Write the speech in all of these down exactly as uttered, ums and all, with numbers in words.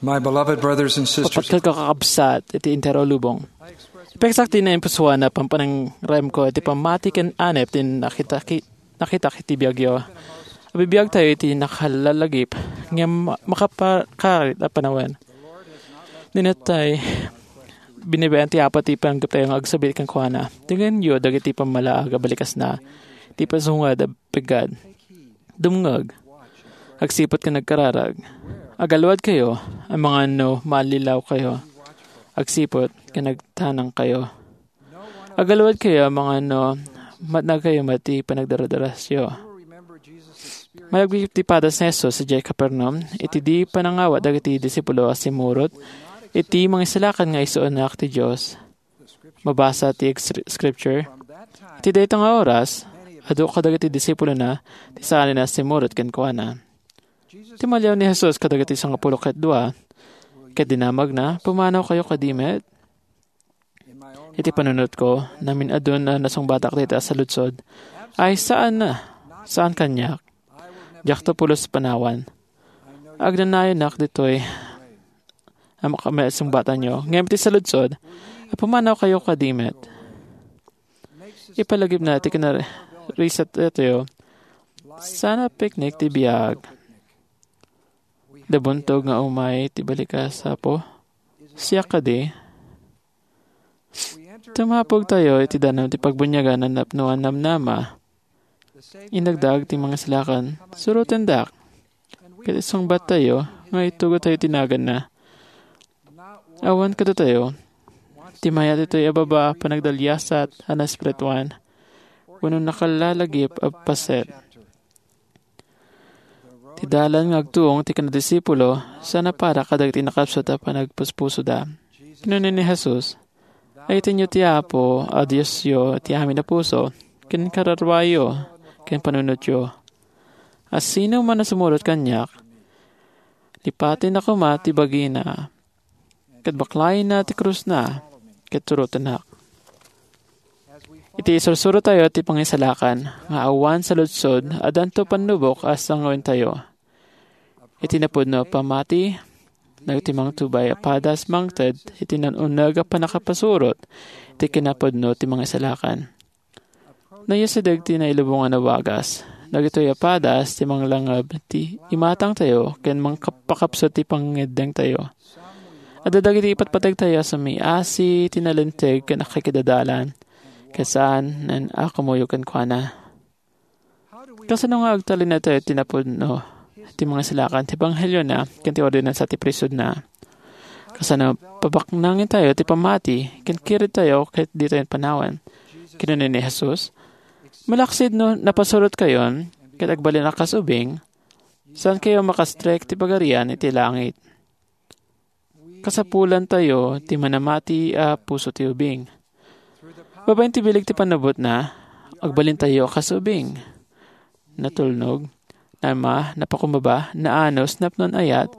My beloved brothers and sisters, Apat kakakabsat iti entero a lubong. Ipeksak ti naimpusuan a pampanangrayamko iti pammati ken anep ti nakitaki-, nakitak iti biagyo. Abibiagtayo iti nakalalagip ngem makapakarit a panawen. Ninatay, binibayan ti Apo ti panaggaputtayo nga agsubli kenkuana. Tengngenyo dagiti pammalaag a balikasna, ti pasunga a peggad. Dumngeg. Agsiput ken agkararag. Agaluadkayo, amangan no maallilaw kayo. Agsiput ken agtanangkayo. Agaluadkayo, amangan no matnagkayo met ti panagdaradarasyo. Malagip ti padas ni Jesus idiay Capernaum, iti di panangawat dagiti disipulo a simurot iti mangisalakan nga isuanak ti Dios. Mabasa ti ex-, scripture. Iti dayta nga oras, adu kadagiti disipulona ti saanen a simurot kenkuana. Timaliaw ni Jesus kadagiti sangapulo ket dua, ket dinamagna, "Pumanawkayo kadi met?" Iti panunotko, namin-adun a nasungbatak dayta a saludsod, ay saan na, saan kaniak. Diakto pulos panawan. Agnanayonak ditoy a makamaisungbatanyo. Ngem iti saludsod, a pumanawkayo kadi met. Ipalagipna ti kinariset daytoy. Sana picnic ti biag. Da buntog nga umay ti balikas, Apo. Siak kadi. Tumapogtayo iti danum ti pagbuniagan a napnoan namnama. Inagdaag ti mangisalakan, surotendak. Ket isungbattayo nga itugotayo ti naganna. Awan kadatayo, ti mayat itoy a baba a panagdaliasat a naespirituan, wenno nakalalagip a paset. Ti dalan nga agtuong ti kinadisipulo, saan a para kadagiti nakapsut a panagpuspusoda. Kinuna ni Jesus, "Ayatenyo ti Apo a Diosyo ti amin a puso, ken kararwayo, ken panunotyo. A sino man a sumurot kaniak, lipatenna koma ti bagina, ket baklayenna ti krusna, ket surotennak." Iti isursurotayo ti pangisalakan nga awan saludsod, addanto pannubok a sangoentayo. Iti napudno a pammati, dagiti mangtubay a padas mangted iti nan-uneg a pannakapasurot iti kinapudno ti mangisalakan. Nayasideg ti nailubongan a wagas. Dagitoy a padas ti manglangeb ti imatangtayo ken mangkap-, pakapsut ti pangngeddengtayo. Adda dagiti ipatpategtayo a sumiasi ti nalinteg ken akikidadalan, ket saan a kumuyo kenkuana. Kasano nga agtalinaedtayo ti napudno ti mangisalakan ti ebangheliona ken ti ordinansa ti priesthoodna? Kasano pabaknangentayo ti pammati ken kiredtayo ket ditayo panawen? Kinuna ni Jesus, "Malaksid no napasurotkayon ket agbalin a kas ubing, saankayo makastrek ti Pagarian iti langit." Kasapulantayo ti manamati a puso ti ubing. Babaen ti bileg ti panubotna, agbalintayo a kas ubing. Natulnog, nama, napakumbaba, naanus, napnoan ayat,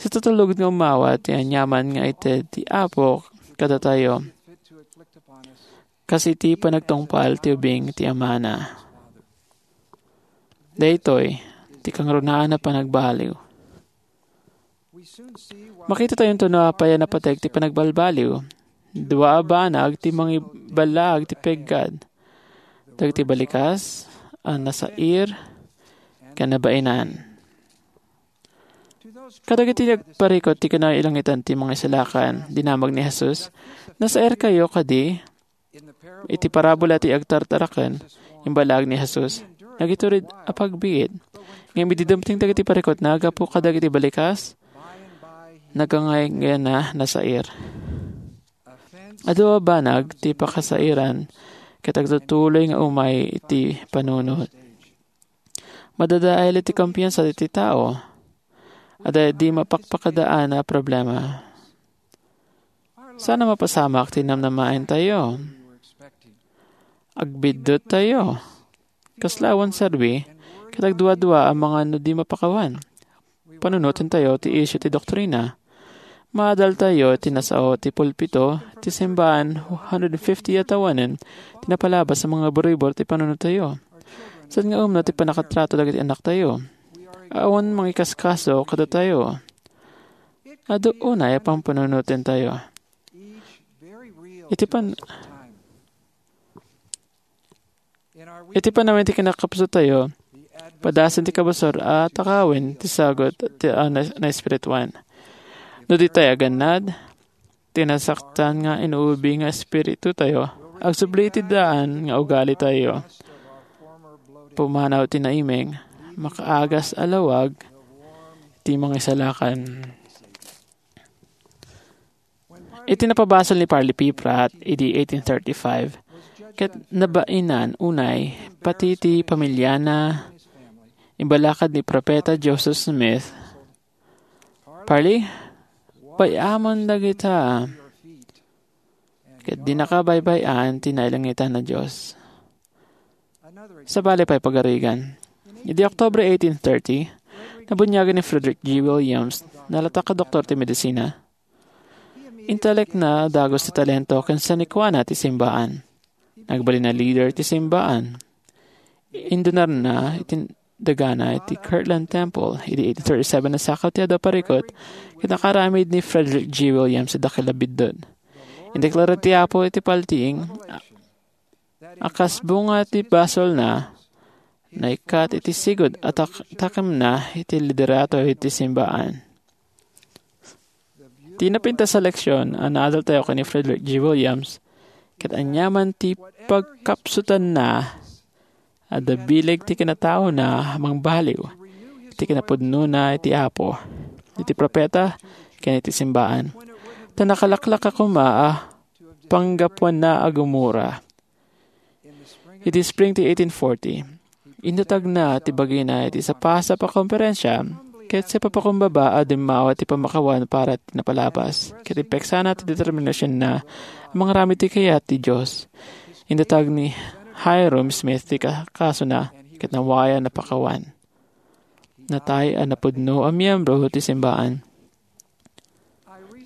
sa tutulod nga umawat ti aniaman nga ited ti Apo kadatayo, kas iti panagtungpal ti ubing ti Amana. Daytoy ti kangrunaan a panagbaliw. Makitatayo no apay a napateg ti panagbalbaliw. Dua a banag ti mangiballaag ti peggad. Dagiti balikas a nasair ken nabaenan. Kadagiti nagparikut ti kinailangitan ti mangisalakan, dinamag ni Jesus, "Nasairkayo kadi?" Iti parabola ti agtartaraken, imballaag ni Jesus, nagitured a pagbiit. Ngem idi dumteng dagiti parikutna gapu kadagiti balikas, nagangayngayna nasair. Adu a banag ti pakasairan ket agtutuloy nga umay iti panunot. Madadael iti kumpiansa iti tao. Adda di mapakpakadaan a problema. Saan a mapasamak ti namnamaentayo? Agbidduttayo. Kasla awan serbi, ket agduadua a mangan no di mapakawan. Panunotentayo ti isyu ti doktrina. Maadaltayo ti nasao ti pulpito ti simbaan one hundred fifty a tawennen ti napalabas a mangiburbor ti panunotentayo. Saan nga umno ti pannakatrato dagiti anaktayo. Awan mangikaskaso kadatayo. Adu unay a pampanunotentayo. Iti pan-, iti panawen ti kinakapsutayo, padasen ti kabusor a takawen ti sagut ti a na-, naespirituan. No ditay agannad, ti nasaktan nga inuubi nga espiritutayo, agsubli iti daan nga ugalitayo. Pumanaw ti naimeng, makaagas a lawag ti mangisalakan. Iti napabasol ni Parley P. Pratt idi eighteen thirty-five, ket nabainan unay pati ti pamiliana, imbalakad ni Profeta Joseph Smith, "Parley, bay-amon dagita, ket dinaka baybay-an ti nailangitan a Dios." Sabali pay pagarigan. Idi Oktubre eighteen thirty, nabuniagan ni Frederick G. Williams, nalatak a doktor ti medisina. Intalekna dagus ti talento ken sanikuana ti simbaan. Nagbalin a leader ti simbaan. Indunarna iti dagana iti Kirtland Temple idi eighteen thirty-seven a sakaw ti adu a parikut ket nakaaramid ni Frederick G. Williams iti dakkel a biddut. Indeklara ti Apo iti paltiing a kas bunga ti basolna, naikkat iti sigud a tak-, takemna iti liderato iti simbaan. Ti napintas a leksion a naadaltayo ken ni Frederick G. Williams, ket aniaman ti pagkapsutanna, adda bileg ti kinataona a mangbaliw iti kinapudnona iti Apo, iti profeta, ken iti simbaan. Ta nakalaklaka koma a panggapuanna a gumura. Iti spring ti eighteen forty, indatagna ti bagina iti sapasap a komperensia, ket sipapakumbaba a dimmawa ti pamakawan para ti napalabas, ket impeksana ti determinasionna a mangaramid ti kayat ti Dios. Indatag ni Hyrum Smith ti ka-, kasona, ket nawayan a pakawan. Natay a napudno a miyembro ti simbaan.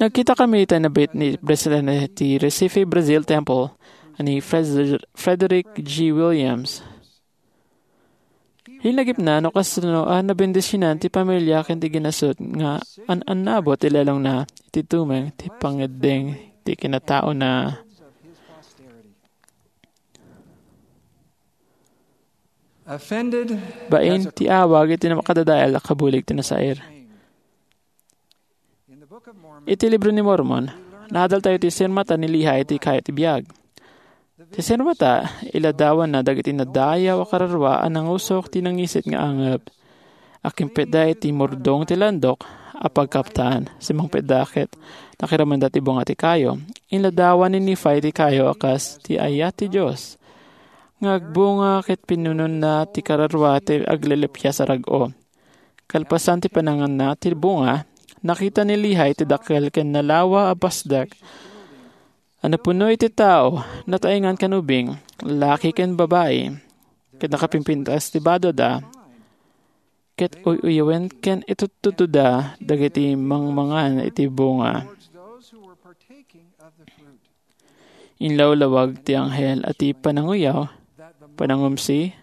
Nagkitakami iti nabit ni Presidente ti Recife Brazil Temple a ni Fred-, Frederick G. Williams. Linagipna no kasano a nabendisionan ti pamilia ken ti ginasut nga an-annabot ti lelongna iti tumeng ti pangeddeng ti kinataona. Bain ti awag iti makadadael a kabulig ti nasair. Iti Libro ni Mormon, naadaltayo ti sirmata ni Lehi iti kayo ti biag. Ti sirmata, iladawanna dagiti nadayaw a kararua a nangusok ti nangisit nga angep. Akimpetda iti murdong ti landok a pagkaptan. Simmangpetda ket nakiramenda ti bunga ti kayo. Inladawan ni Nephi ti kayo a kas ti ayat ti Dios nga agbunga ket pinunonna ti kararua ti aglelepias a rag-o. Kalpasan ti pananganna ti bunga, nakita ni Lehi ti dakkel ken nalawa a pasdek a napuno iti tao, nataengan ken ubing, laki ken babai, ket nakapimpintas ti badoda, ket uy-uyawen ken itudtudda dagiti mangmangan iti bunga. Inlawlawag ti anghel a ti pananguyaw, panangumsi,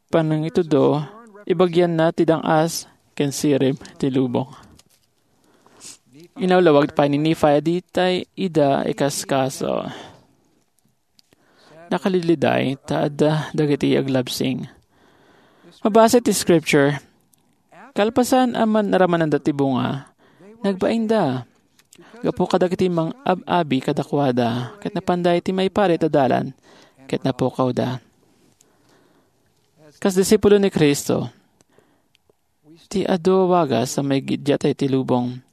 panangitudo, ibagianna ti dang-as ken sirib ti lubong. Inlawlawag pay ni Nephi a ditay ida ikaskaso. Nakaliliday ta adda dagiti aglabsing. Mabasa ti scripture, kalpasan a man-, naramananda ti bunga, nagbainda. Gapu kadagiti mang-ab-abi kadakuada, ket napanda iti maiparit a dalan, ket napukawda. Kas disipulo ni Cristo, ti adu a wagas a maigiddiatay ti lubong.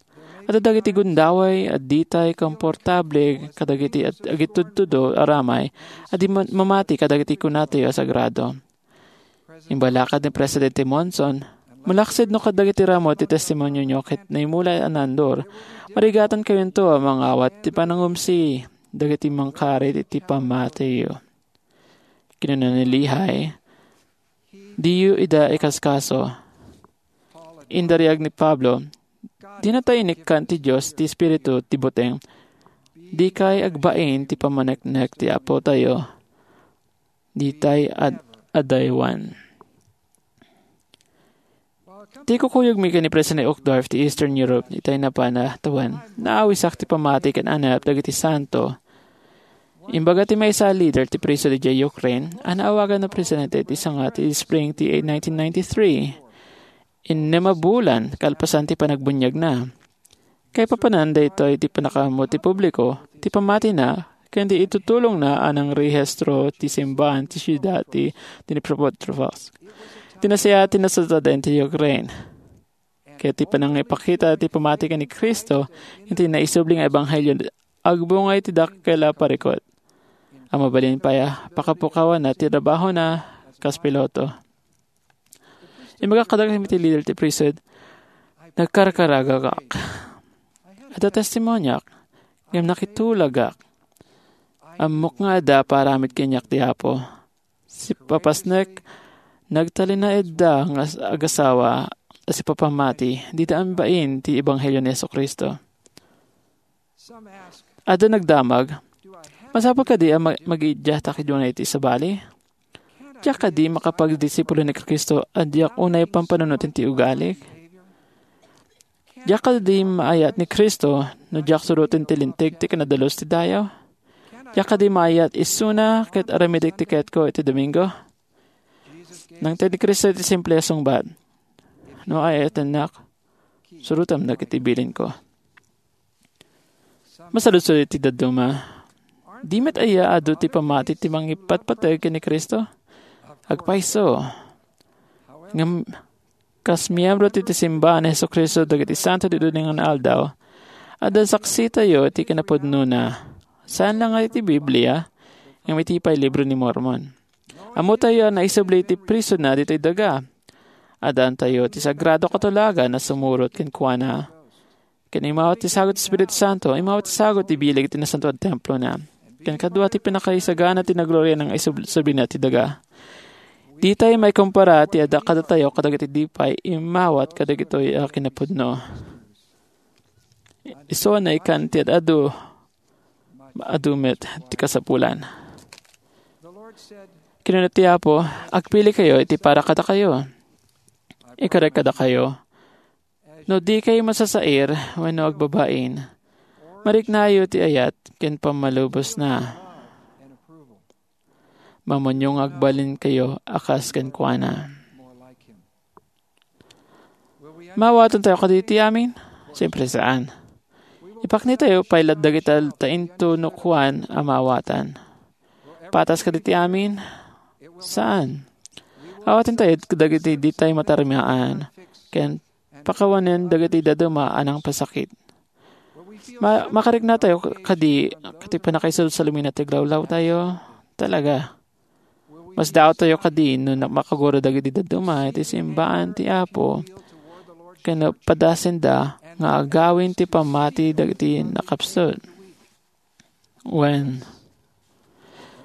Adda dagiti gundaway a ditay komportable kadagiti ag-, agitudtudo a ramay a di ma-, mamati kadagiti kunatayo a sagrado. Imbalakad ni Presidente Monson, malaksid no kadagiti ramo ti testimonionyo ket naimulay a naandur, marigatankayo a mangawat ti panangumsi dagiti mangkarit iti pammatiyo. Kinuna ni Lehi, "Diyo ida ikaskaso." Indariag ni Pablo, "Dinatay inikkan ti Dios ti Espiritu ti buteng. Dikay agbain ti pammaneknek ti Apotayo. Ditay ad-, adaywan." Ti kukuyogmi ken ni President Uchtdorf ti Eastern Europe itay napan a tawen, naawisak ti pammati ken anep dagiti santo. Imbaga ti maysa a leader ti priesthood idiay Ukraine a naawagan a presidente ti sanga ti spring ti nineteen ninety-three. Innem a bulan kalpasan ti panagbuniagna. Kaipapanan daytoy ti pannakaammo ti publiko ti pammatina ken ti itutulongna a nangrehistro ti simbahan ti siudad ti Dnipropetrovsk. Ti nasayaat ti nasataaden ti Ukraine. Ket ti panangipakita ti pammati ken ni Cristo iti naisubli nga ebanghelio agbunga iti dakkel a parikut a mabalin pay a pakapukawanna ti trabahona kas piloto. Imbagak kadagiti leader ti priesthood, nagkarkaragagak. Adda testimoniak, ngem nakitulagak. Ammok nga adda paaramid kaniak ti Apo. Sipapasnek, nagtalinaedda nga as-, agasawa a sipapammati, dida ambain ti ebanghelio ni Jesu-Cristo. Adda nagdamag, "Masapul kadi a ma-, magidiatak idiay iti sabali? Diak kadi makapagdisipulo ni Cristo a diak unay pampanunoten ti ugalik? Diak kadi maayat ni Cristo no diak suroten ti linteg ti kinadalus ti dayaw? Diak kadi maayat isuna ket aramidek ti kayatko iti Domingo?" Nangted ni Cristo iti simple a sungbat, "No aayatennak, surotem dagiti bilinko." Masaludsod iti dadduma, "Di met aya adu ti pammati ti mangipatpateg ken ni Cristo?" Agpayso. Ngem kas miyembro ti, ti simbahan ni Jesu-Cristo dagiti santo ti duding nga aldaw, adda saksitayo iti kinapudnona. Saan la nga iti Biblia, ngem iti pay libro ni Mormon. Ammotayo a naisubli ti priesthoodna ditoy daga. Addaantayo ti sagrado a katulagan a sumurot kenkuana. Ken immawat ti sagut ti Espiritu Santo, immawat ti sagut ti bileg ti nasantoan a templona. Ken kadua ti pinakaisagana ti nagloria nga isub-, sublina ti daga. Ditay maikumpara ti adda kadatayo kadagiti di pay immawat kadagitoy a kinapudno. Isu a naikan ti ad-adu, adu met ti kasapulan. Kinuna ti Apo, "Agpilikayo iti para kadakayo. Ikarek kadakayo, no dikay masasair wenno agbabain, mariknayo ti ayat ken pammalubosna. Mamunyo nga agbalinkayo a kas kenkuana." Maawatan tayo kadi ti amin? Siyempre, saan. Ipaknitayo pay latta dagita ta intunukuan a maawatan. Patas kadi ti amin? Saan. Awaten tayo dagiti ditay matarmaan, ken pakawanen dagiti dadduma a nangpasakit. Ma-, makarikna tayo kadi, kadi pannakaisalasalumina ti aglawlaw tayo? Talaga. Masdaaw tayo kadi no na-, makagura dagiti dadduma iti simbaan ti Apo, ken no padasenda nga agawin ti pammati dagiti nakapsut. Wen,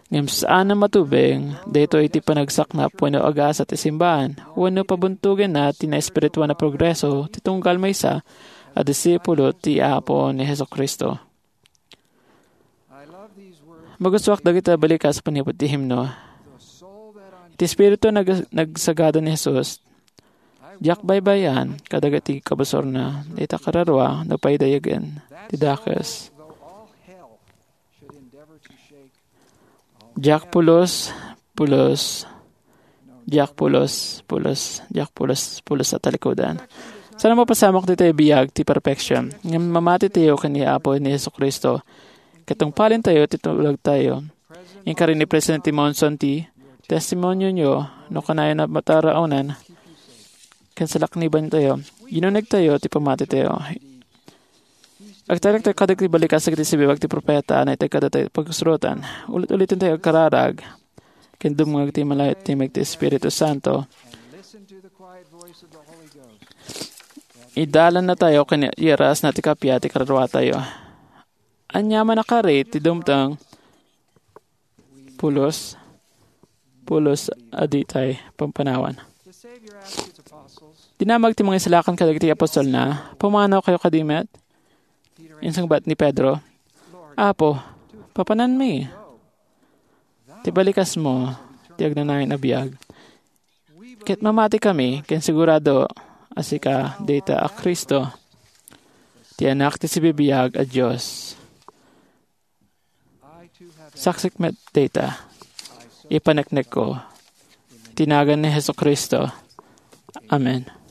ngem saan a matubeng daytoy iti panagsaknap wenno agasa ti simbaan, wenno pabuntogenna ti naespirituan a progreso ti tunggal maysa a disipulo ti Apo ni Jesu-Cristo. Magustuak dagiti balikas manipud ti himno. Iti Espiritu nag-, nagsagada ni Jesus, diak baybay-an kadagiti kabusorna, dayta kararua, no paidayagen ti dakes. Diak pulos, pulos, diak pulos, pulos, diak pulos, pulos a talikudan. Saan a mapasamak ditoy biag ti perfection. Ngem mamati tayo ken ni Apo ni Jesu-Cristo. Ket tungpalen tayo ti tulagtayo. Inkari ni Presidente Monson ti testimonio no kanayon a mataraonan ken salakniban tayo. Inuneg tayo ti pammati tayo. Agtalek tayo kadagiti balikas dagiti sibibiag ti profeta a naitedda kadatayo pagsurotan. Ulit-uliten tayo agkararag ken dumngeg ti malayo a timek ti Espiritu Santo. Idalanna tayo ken iyarasna ti kappia ti kararua tayo. Aniaman a kari ti dumteng, pulos, pulos a ditay pampanawan. Dinamag ti mangisalakan kadagiti apostolna, "Pumanaw kayo kadi met?" Insungbat ni Pedro, "Apo, papananmi. Ti balikasmo ti agnanayon a biag. Ket mamati kami, ken sigurado a sika dayta a Cristo, ti Anak ti sibibiag a Dios. Saksik met dayta. Ipaneknekko. Ti nagan ni Jesu-Cristo. Amen.